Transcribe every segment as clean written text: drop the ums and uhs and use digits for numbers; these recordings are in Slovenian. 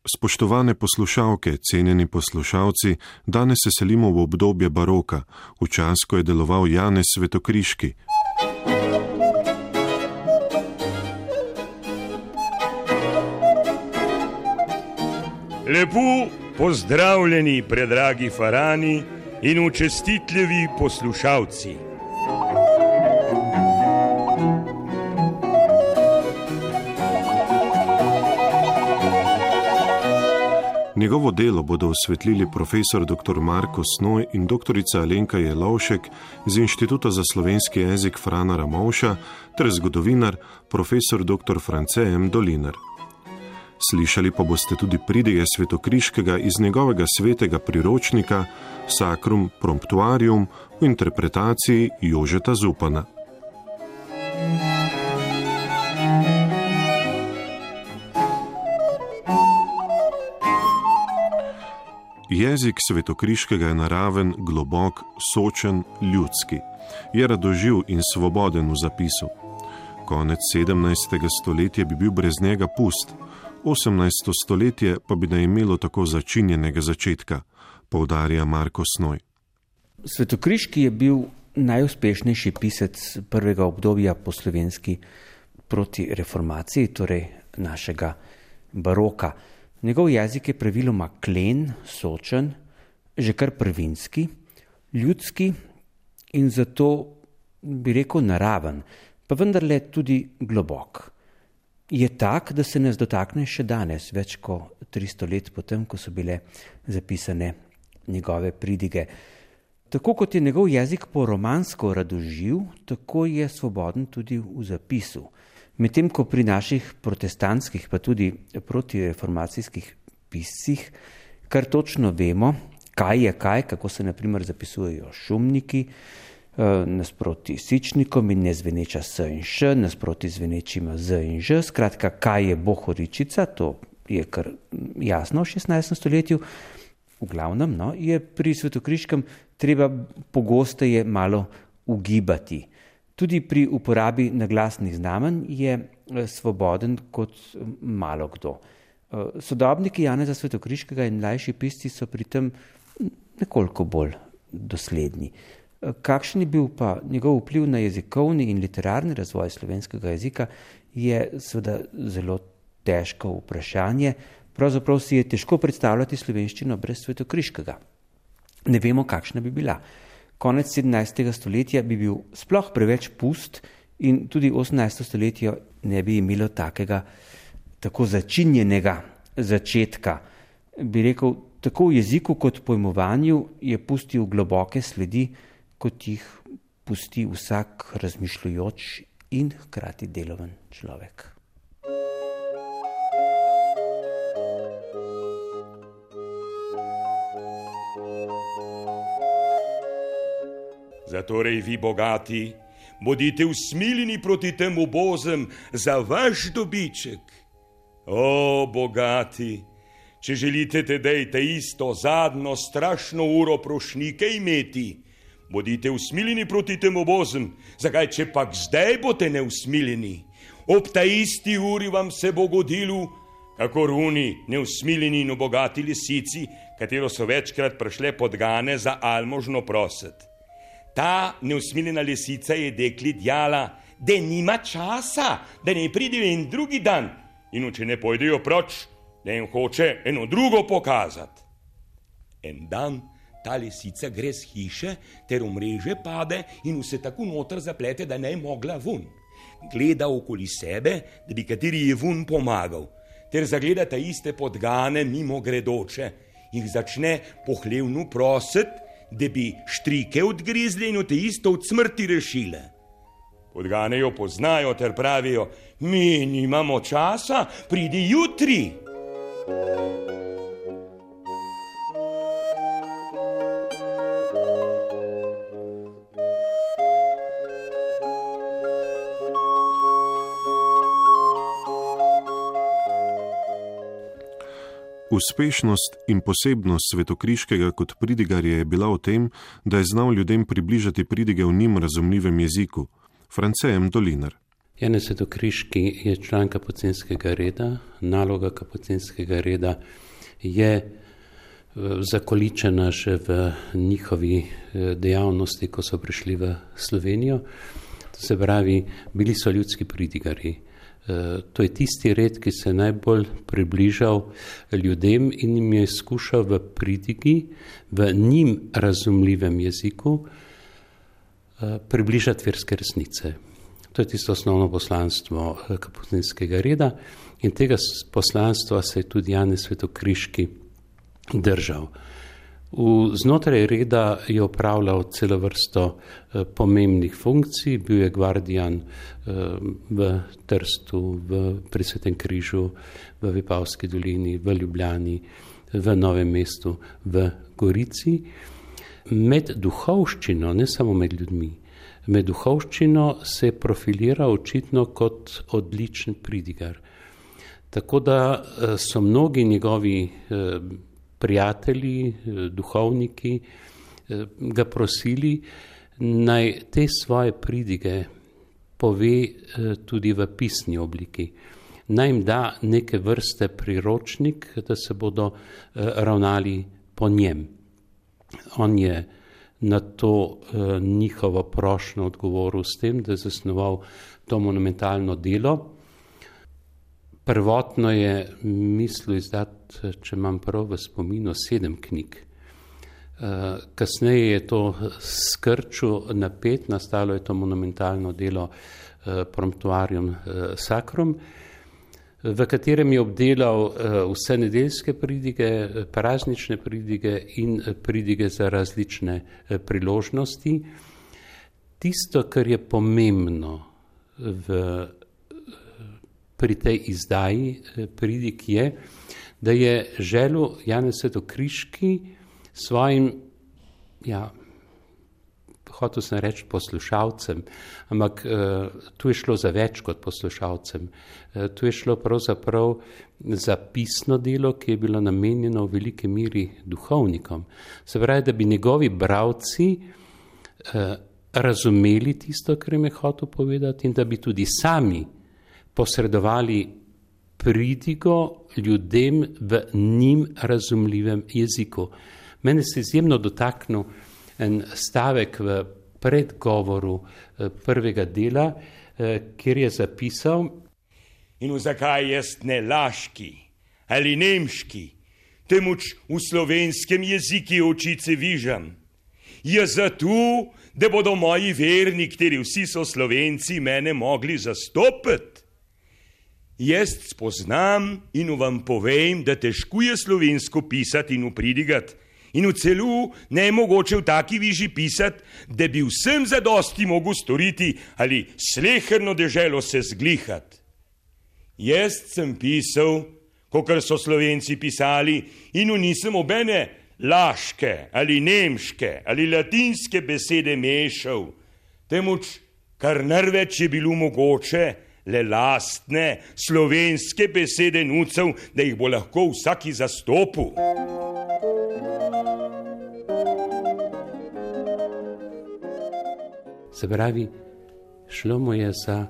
Spoštovane poslušalke, cenjeni poslušalci, danes se selimo v obdobje baroka, v čas, ko je deloval Janez Svetokriški. Lepo pozdravljeni, predragi farani in učestitljivi poslušalci. Njegovo delo bodo osvetlili profesor dr. Marko Snoj in doktorica Alenka Jelovšek z Inštituta za slovenski jezik Frana Ramovša ter zgodovinar profesor dr. France M. Dolinar. Slišali pa boste tudi pridige Svetokriškega iz njegovega svetega priročnika Sacrum Promptuarium v interpretaciji Jožeta Zupana. Jezik Svetokriškega je naraven, globok, sočen, ljudski. Je radoživ in svoboden v zapisu. Konec 17. stoletja bi bil brez njega pust, 18. stoletje pa bi ne imelo tako začinjenega začetka, poudarja Marko Snoj. Svetokriški je bil najuspešnejši pisec prvega obdobja po slovenski proti reformaciji, torej našega baroka. Njegov jezik je praviloma klen, sočen, že kar prvinski, ljudski in zato bi rekel naraven, pa vendarle tudi globok. Je tak, da se nas dotakne še danes, več kot 300 let potem, ko so bile zapisane njegove pridige. Tako kot je njegov jezik poromansko radoživ, tako je svoboden tudi v zapisu. Medtem ko pri naših protestantskih, pa tudi protireformacijskih piscih, kar točno vemo, kaj je kaj, kako se na primer zapisujejo šumniki, nasproti sičnikom in nezveneča s in š, nasproti zvenečima z in ž, skratka, kaj je bohoričica, to je kar jasno v 16. stoletju. V glavnem, je pri Svetokriškem treba pogosteje malo ugibati. Tudi pri uporabi naglasnih znamenj je svoboden kot malo kdo. Sodobniki Janeza Svetokriškega in mlajši pisci so pri tem nekoliko bolj dosledni. Kakšen je bil pa njegov vpliv na jezikovni in literarni razvoj slovenskega jezika, je seveda zelo težko vprašanje. Pravzaprav si je težko predstavljati slovenščino brez Svetokriškega. Ne vemo, kakšna bi bila. Konec 17. stoletja bi bil sploh preveč pust in tudi 18. stoletje ne bi imelo tako začinjenega začetka. Bi rekel, tako v jeziku kot pojmovanju je pustil globoke sledi, kot jih pusti vsak razmišljujoč in hkrati deloven človek. Zatorej vi, bogati, bodite usmiljeni proti tem ubozem za vaš dobiček. O, bogati, če želite tedej te isto zadnjo strašno uro prošnike imeti, bodite usmiljeni proti tem ubozem, zakaj če pak zdaj boste neusmiljeni, ob ta isti uri vam se bo godilo, kakor oni neusmiljeni in bogati lisici, katero so večkrat prišle podgane za almožno proset. Ta neusmiljena lisica je dekli djala, da nima časa, da ne pride en drugi dan in če ne pojdejo proč, da jim hoče eno drugo pokazati. En dan ta lisica gre z hiše ter v mreže pade in vse tako noter zaplete, da ne mogla vun. Gleda okoli sebe, da bi kateri je vun pomagal, ter zagleda ta iste podgane mimo gredoče in začne pohlevno prosit, da bi štrike odgrizli in te isto od smrti rešile. Podgane jo poznajo ter pravijo, mi nimamo časa, pridi jutri. Uspešnost in posebnost Svetokriškega kot pridigarja je bila v tem, da je znal ljudem približati pridige v njim razumljivem jeziku. France M. Dolinar. Janez Svetokriški je član Kapucinskega reda. Naloga Kapucinskega reda je zakoličena že v njihovi dejavnosti, ko so prišli v Slovenijo. To se pravi, bili so ljudski pridigarji. To je tisti red, ki se je najbolj približal ljudem in jim je skušal v pridigi, v njim razumljivem jeziku približati verske resnice. To je tisto osnovno poslanstvo Kapucinskega reda in tega poslanstva se je tudi Janez Svetokriški držal. Znotraj reda je opravljal celo vrsto pomembnih funkcij, bil je gvardijan v Trstu, pri Svetem križu, v Vipavski dolini, v Ljubljani, v Novem mestu, v Gorici. Med duhovščino, ne samo med ljudmi, med duhovščino se je profiliral očitno kot odličen pridigar. Tako da so mnogi njegovi prijatelji, duhovniki ga prosili, naj te svoje pridige pove tudi v pisni obliki. Naj jim da neke vrste priročnik, da se bodo ravnali po njem. On je na to njihovo prošnjo odgovoril s tem, da je zasnoval to monumentalno delo. Prvotno je mislil izdati, če imam prav v spominu, 7 knjig. Kasneje je to skrčil na 5, nastalo je to monumentalno delo Promptuarium Sacrum, v katerem je obdelal vse nedeljske pridige, praznične pridige in pridige za različne priložnosti. Tisto, kar je pomembno pri tej izdaji pridig je, da je želel Janez Svetokriški svojim, hotel sem reči poslušalcem, ampak tu je šlo za več kot poslušalcem. Tu je šlo pravzaprav za pisno delo, ki je bilo namenjeno v veliki miri duhovnikom. Se pravi, da bi njegovi bralci razumeli tisto, kar jim je hotel povedati in da bi tudi sami posredovali pridigo ljudem v njim razumljivem jeziku. Mene se izjemno dotaknil en stavek v predgovoru prvega dela, kjer je zapisal: In zakaj jaz ne laški ali nemški, temveč v slovenskem jeziku očice vižam? Je zato, da bodo moji verni, kateri vsi so Slovenci, mene mogli zastopiti. Jaz spoznam in vam povem, da težko je slovensko pisati in upridigati in v celu ne je mogoče v taki viži pisati, da bi vsem zadosti mogel storiti ali sleherno deželo se zglihati. Jaz sem pisal, kakor so Slovenci pisali, in nisem obene laške ali nemške ali latinske besede mešal, temveč kar največ je bilo mogoče le lastne slovenske besede nucev, da jih bo lahko vsaki zastopil. Se pravi, šlo mu je za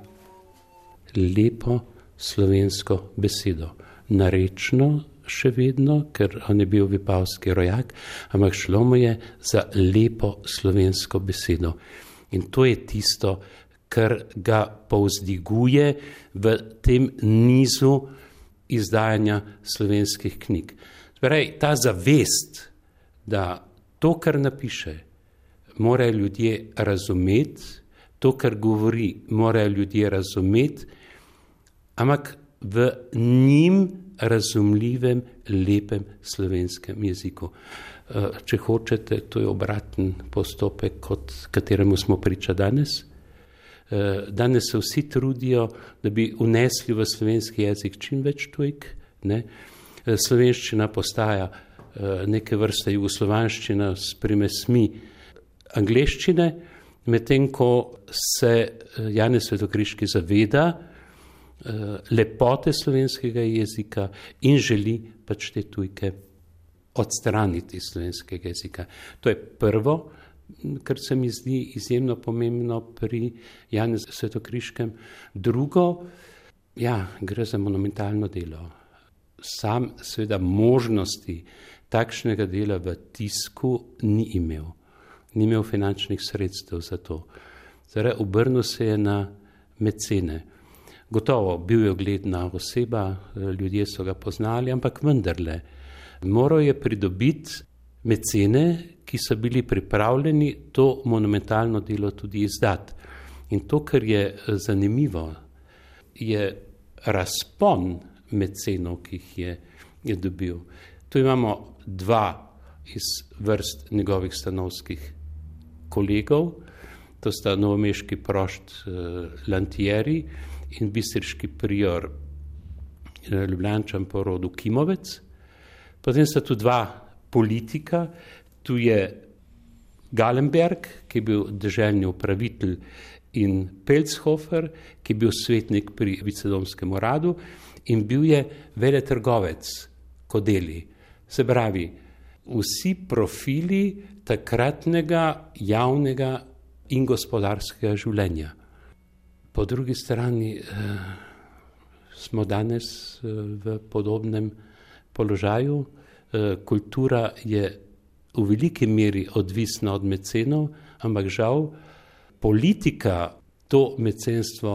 lepo slovensko besedo. Narečno še vedno, ker on je bil vipavski rojak, ampak šlo mu je za lepo slovensko besedo. In to je tisto, kar ga povzdiguje v tem nizu izdajanja slovenskih knjig. Torej, ta zavest, da to, kar napiše, morajo ljudje razumeti, to, kar govori, morajo ljudje razumeti, ampak v njim razumljivem, lepem slovenskem jeziku. Če hočete, to je obraten postopek, kot kateremu smo priča danes. Danes se vsi trudijo, da bi unesli v slovenski jezik čim več tujk. Slovenščina postaja neke vrste jugoslovanščina s primesmi angleščine, medtem ko se Janez Svetokriški zaveda lepote slovenskega jezika in želi pač te tujke odstraniti iz slovenskega jezika. To je prvo. kar se mi zdi izjemno pomembno pri Janezu Svetokriškem. Drugo, gre za monumentalno delo. Sam seveda možnosti takšnega dela v tisku ni imel. Ni imel finančnih sredstev za to. Zdaj, obrnil se je na mecene. Gotovo, bil je ugledna oseba, ljudje so ga poznali, ampak vendarle, moral je pridobiti mecene, ki so bili pripravljeni to monumentalno delo tudi izdati. In to, kar je zanimivo, je razpon mecenov, ki jih je dobil. Tu imamo dva iz vrst njegovih stanovskih kolegov, to sta novomeški prošt Lantieri in bistriški prior Ljubljančan po rodu Kimovec. Potem sta tu dva politika, tu je Galenberg, ki je bil deželni upravitelj, in Pelzhofer, ki je bil svetnik pri vicedomskem uradu in bil je veletrgovec Kodeli. Se pravi, vsi profili takratnega javnega in gospodarskega življenja. Po drugi strani smo danes v podobnem položaju. Kultura je v veliki meri odvisna od mecenov, ampak žal politika to mecenstvo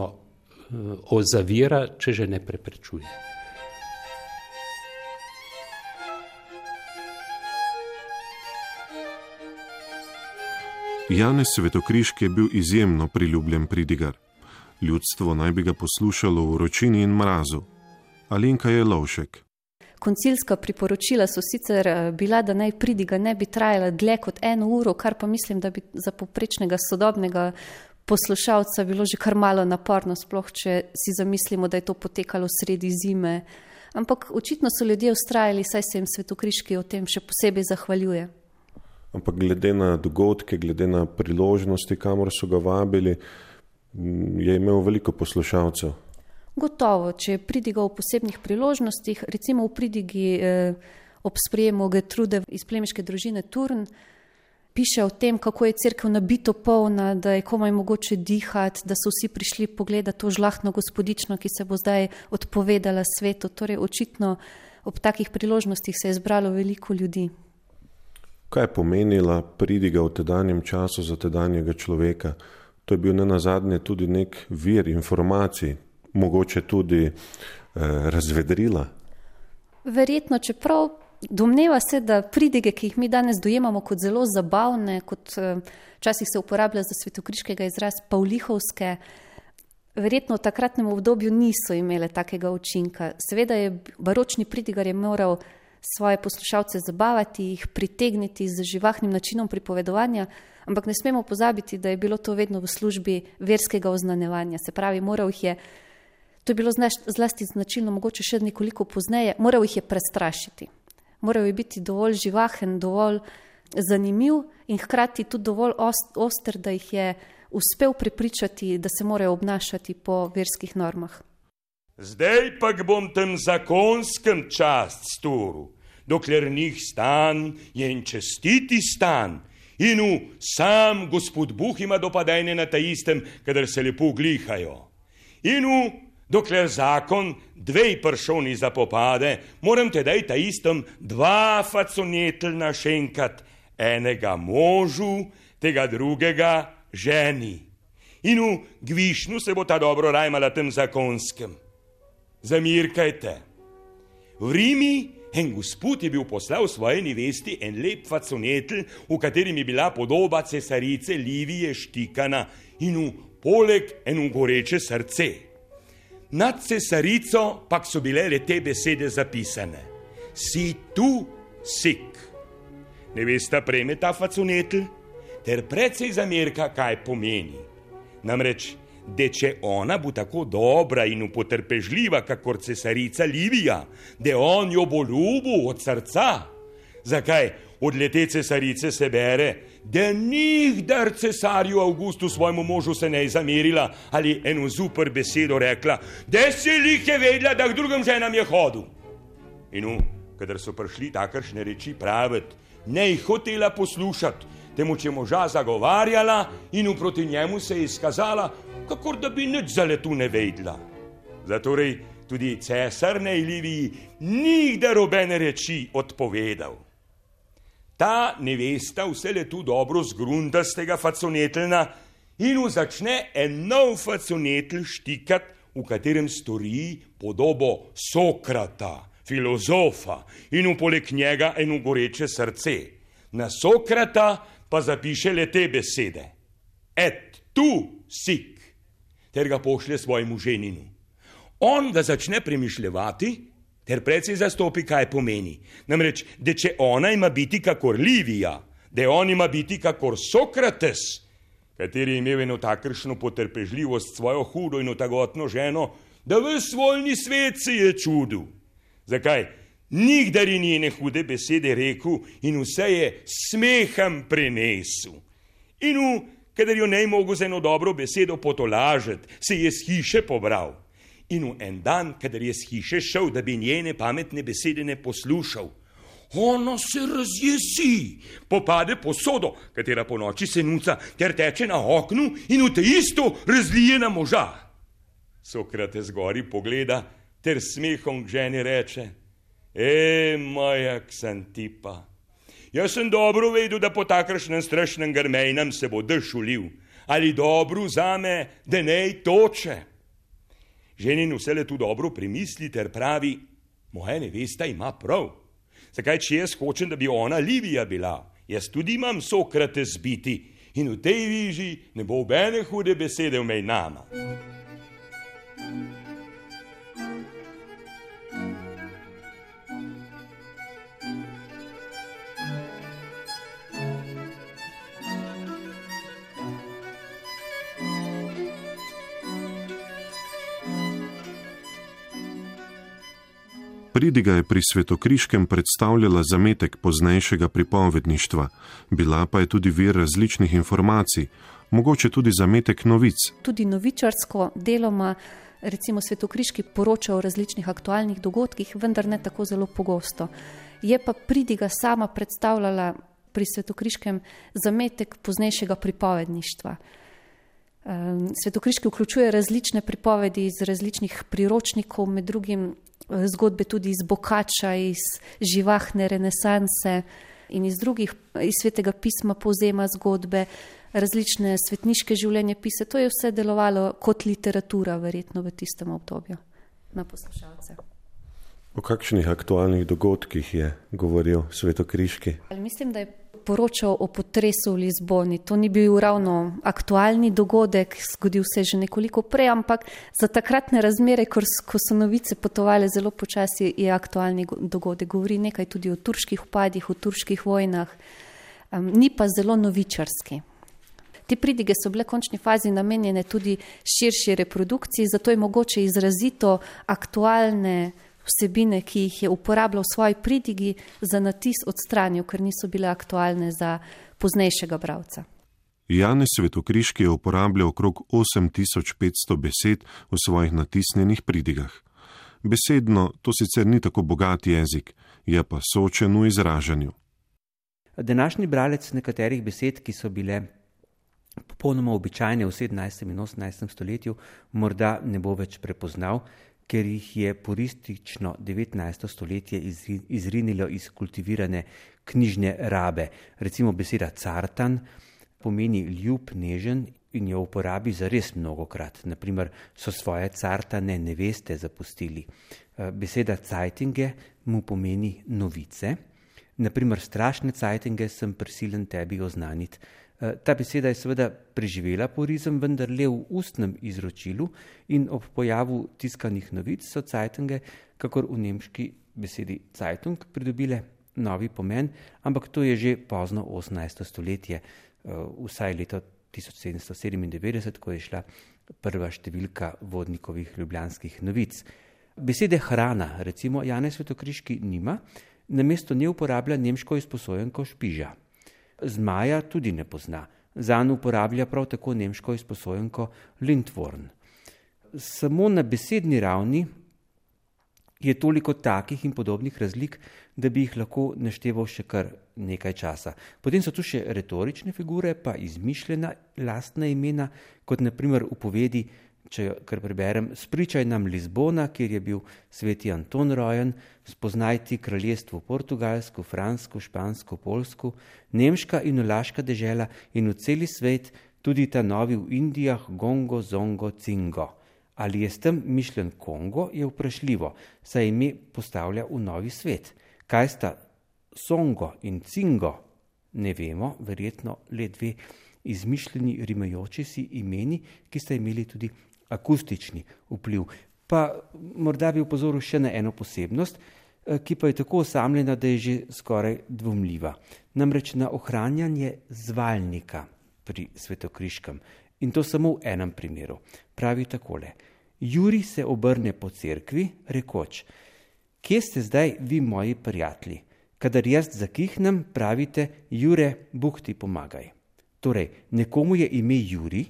ozavira, če že ne preprečuje. Janez Svetokriški je bil izjemno priljubljen pridigar. Ljudstvo naj bi ga poslušalo v vročini in mrazu. Alenka Jelovšek. Koncilska priporočila so sicer bila, da naj pridiga ne bi trajala dlje kot 1 uro, kar pa mislim, da bi za povprečnega sodobnega poslušalca bilo že kar malo naporno, sploh če si zamislimo, da je to potekalo sredi zime. Ampak očitno so ljudje vztrajali, saj se jim Svetokriški o tem še posebej zahvaljuje. Ampak glede na dogodke, glede na priložnosti, kamor so ga vabili, je imel veliko poslušalcev. Gotovo, če je pridigal v posebnih priložnostih, recimo v pridigi ob sprejemu Gertrude iz plemiške družine Turn, piše o tem, kako je cerkev nabito polna, da je komaj mogoče dihati, da so vsi prišli pogledati to žlahtno gospodično, ki se bo zdaj odpovedala svetu. Torej, očitno ob takih priložnostih se je zbralo veliko ljudi. Kaj je pomenila pridiga v tedanjem času za tedanjega človeka? To je bil nenazadnje tudi nek vir informacij, mogoče tudi razvedrila. Verjetno, čeprav domneva se, da pridige, ki jih mi danes dojemamo kot zelo zabavne, kot včasih se uporablja za Svetokriškega izraz pavlihovske, verjetno v takratnem obdobju niso imele takega učinka. Seveda je baročni pridigar je moral svoje poslušalce zabavati, jih pritegniti z živahnim načinom pripovedovanja, ampak ne smemo pozabiti, da je bilo to vedno v službi verskega oznanjevanja. Se pravi, moral jih je, to je bilo zlasti značilno mogoče še nekoliko pozneje, moral jih je prestrašiti. Moral je biti dovolj živahen, dovolj zanimiv in hkrati tudi dovolj oster, da jih je uspel prepričati, da se morajo obnašati po verskih normah. Zdaj pa bom tem zakonskem čast storil, dokler njih stan je in čestiti stan, in sam gospod Bog ima dopadajne na ta istem, kadar se lepo glihajo. In dokler zakon 2 pršoni zapopade, moram tedaj ta istem 2 faconetelna šenkat, enega možu, tega drugega ženi. In gvišnu se bo ta dobro rajmala tem zakonskem. Zamirkajte. V Rimi en gospod je bil poslal svoje nevesti en lep faconetel, v katerem je bila podoba cesarice Livije štikana in poleg eno goreče srce. Nad cesarico pak so bile le te besede zapisane. Si tu sik. Nevesta prejme ta faconetel ter precej zamerka, kaj pomeni. Namreč, da če ona bo tako dobra in potrpežljiva, kakor cesarica Livija, da on jo bo ljubil od srca. Zakaj od lete cesarice se bere, da nikdar cesarju Augustu svojemu možu se ne je zamerila ali eno super besedo rekla, da se lih je vedela, da k drugim ženam je hodil. In kadar so prišli takršne reči praviti, ne jih hotela poslušati, temu če moža zagovarjala in proti njemu se je izkazala, kakor da bi nič za letu ne vedla. Zatorej tudi cesar Liviji nikdar obene reči odpovedal. Ta nevesta vse letu dobro zgrunda z tega faconetlna in začne en nov faconetl štikat, v katerem stori podobo Sokrata, filozofa in poleg njega eno goreče srce. Na Sokrata pa zapiše le te besede. Et tu sik, ter ga pošlje svojemu ženinu. On ga začne premišljevati, ter precej zastopi, kaj pomeni. Namreč, da če ona ima biti kakor Livija, da on ima biti kakor Sokrates, kateri je imel eno takršno potrpežljivost svojo hudo in otagotno ženo, da ves voljni svet se je čudil. Zakaj? Nikdar je njene hude besede rekel in vse je smehom prenesel. In kadar jo ne je mogel z eno dobro besedo potolažiti, se je s hiše pobral. In en dan, kadar je s hiše šel, da bi njene pametne besede ne poslušal, ona se razjesi, popade posodo, katera po noči se nuca, ter teče na oknu in v te isto razlije na moža. Sokrates gori pogleda, ter smehom k ženi reče: moja Ksantipa, jaz sem dobro vedel, da po takršnem strašnem grmejnem se bo dež ulil, ali dobro zame, da nej toče. Ženin vse letu dobro premisli ter pravi: moja nevesta ima prav. Zakaj, če jaz hočem, da bi ona Livija bila, jaz tudi imam Sokrates biti in v tej viži ne bo obene hude besede vmej nama. Pridiga je pri Svetokriškem predstavljala zametek poznejšega pripovedništva, bila pa je tudi vir različnih informacij, mogoče tudi zametek novic. Tudi novičarsko deloma, recimo Svetokriški poroča o različnih aktualnih dogodkih, vendar ne tako zelo pogosto. Je pa pridiga sama predstavljala pri Svetokriškem zametek poznejšega pripovedništva. Svetokriški vključuje različne pripovedi iz različnih priročnikov, med drugim zgodbe tudi iz Bokača, iz živahne renesanse in iz Svetega pisma povzema zgodbe, različne svetniške življenjepise. To je vse delovalo kot literatura verjetno v tistem obdobju na poslušalce. O kakšnih aktualnih dogodkih je govoril Svetokriški? Mislim, da je poročal o potresu v Lizboni. To ni bil ravno aktualni dogodek, zgodil se že nekoliko prej, ampak za takratne razmere, ko so novice potovale zelo počasi, je aktualni dogodek. Govori nekaj tudi o turških vpadih, o turških vojnah, ni pa zelo novičarski. Te pridige so bile v končni fazi namenjene tudi širši reprodukciji, zato je mogoče izrazito aktualne vsebine, ki jih je uporabljal v svoji pridigi, za natis odstranil, ker niso bile aktualne za poznejšega bralca. Janez Svetokriški je uporabljal okrog 8500 besed v svojih natisnjenih pridigah. Besedno to sicer ni tako bogat jezik, je pa sočen v izražanju. Današnji bralec nekaterih besed, ki so bile popolnoma običajne v 17. in 18. stoletju, morda ne bo več prepoznal, ker jih je puristično 19. stoletje izrinilo iz kultivirane knjižne rabe. Recimo beseda cartan pomeni ljub, nežen in jo uporabi zares mnogokrat. Naprimer, so svoje cartane neveste zapustili. Beseda cajtinge mu pomeni novice. Naprimer, strašne cajtinge sem prisilen tebi oznaniti. Ta beseda je seveda preživela purizem, vendar le v ustnem izročilu in ob pojavu tiskanih novic so cajtinge, kakor v nemški besedi Zeitung, pridobile novi pomen, ampak to je že pozno 18. stoletje, vsaj leto 1797, ko je šla prva številka Vodnikovih ljubljanskih novic. Besede hrana, recimo, Janez Svetokriški nima, namesto nje uporablja nemško izposojenko špiža. Zmaja tudi ne pozna, zanj uporablja prav tako nemško izposojenko Lindworm. Samo na besedni ravni je toliko takih in podobnih razlik, da bi jih lahko našteval še kar nekaj časa. Potem so tu še retorične figure, pa izmišljena lastna imena, kot naprimer v povedi, če kar preberem, spričaj nam Lizbona, kjer je bil sveti Anton rojen, spoznaj ti kraljestvo Portugalsko, Fransko, Špansko, Polsko, Nemška in Olaška dežela in v celi svet, tudi ta novi v Indijah, Gongo, Zongo, Cingo. Ali je s tem mišljen Kongo, je vprašljivo, saj ime postavlja v novi svet. Kaj sta Songo in Cingo? Ne vemo, verjetno le dve izmišljeni rimajoči si imeni, ki sta imeli tudi akustični vpliv. Pa morda bi upozoril še na eno posebnost, ki pa je tako osamljena, da je že skoraj dvomljiva. Namreč na ohranjanje zvalnika pri Svetokriškem. In to samo v enem primeru. Pravi takole. Jurij se obrne po cerkvi, rekoč, kje ste zdaj vi moji prijatelji? Kadar jaz zakihnem, pravite, Jure, Bog ti pomagaj. Torej, nekomu je ime Jurij,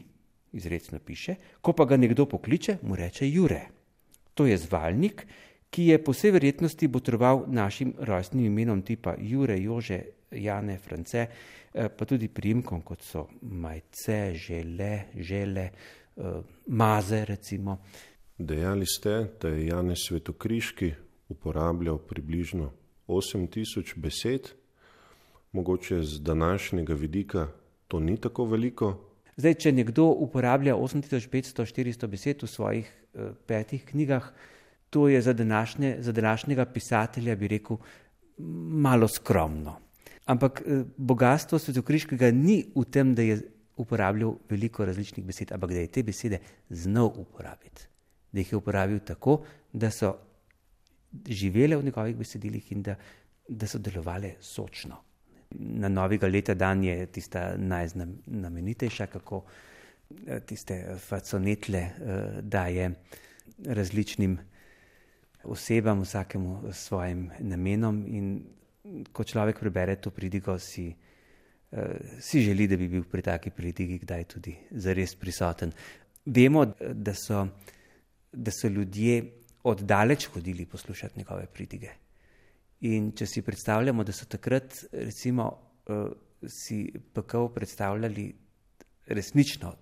izrecno piše, ko pa ga nekdo pokliče, mu reče Jure. To je zvalnik, ki je po vsej verjetnosti botroval našim rojstnim imenom tipa Jure, Jože, Jane, France, pa tudi priimkom, kot so Majce, Žele, Maze recimo. Dejali ste, da je Janez Svetokriški uporabljal približno 8000 besed. Mogoče z današnjega vidika to ni tako veliko. Zdaj, če nekdo uporablja 8500-400 besed v svojih 5 knjigah, to je za današnjega pisatelja, bi rekel, malo skromno. Ampak bogatstvo Svetokriškega ni v tem, da je uporabljal veliko različnih besed, ampak da je te besede znal uporabiti. Da jih je uporabil tako, da so živele v njegovih besedilih in da so delovale sočno. Na novega leta dan je tista najznamenitejša, kako tiste faconetle daje različnim osebam, vsakemu svojim namenom, in ko človek prebere to pridigo, si želi, da bi bil pri taki pridigi kdaj tudi zares prisoten. Vemo, da so ljudje oddaleč hodili poslušati njegove pridige. In če si predstavljamo, da so takrat recimo si pekel predstavljali resnično,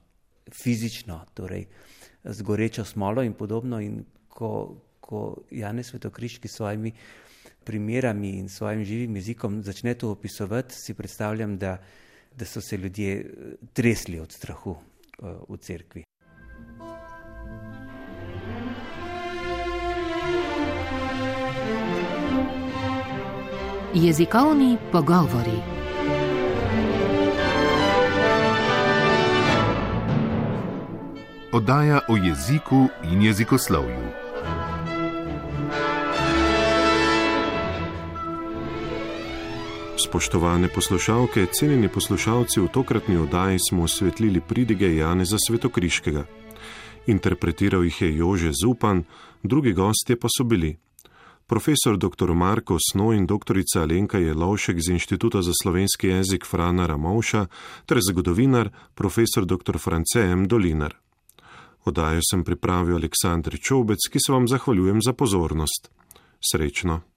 fizično, torej z gorečo smolo in podobno, in ko Janez Svetokriški s svojimi primerami in svojim živim jezikom začne to opisovati, si predstavljam, da so se ljudje tresli od strahu v cerkvi. Jezikovni pogovori. Oddaja o jeziku in jezikoslovju. Spoštovane poslušalke, cenjeni poslušalci, v tokratni oddaji smo osvetlili pridige Janeza Svetokriškega. Interpretiral jih je Jože Zupan, drugi gostje pa so bili profesor dr. Marko Snoj in doktorica Alenka Jelovšek z Inštituta za slovenski jezik Frana Ramovša ter zgodovinar profesor dr. France M. Dolinar. Oddajo sem pripravil Aleksandr Čobec, ki se vam zahvaljujem za pozornost. Srečno!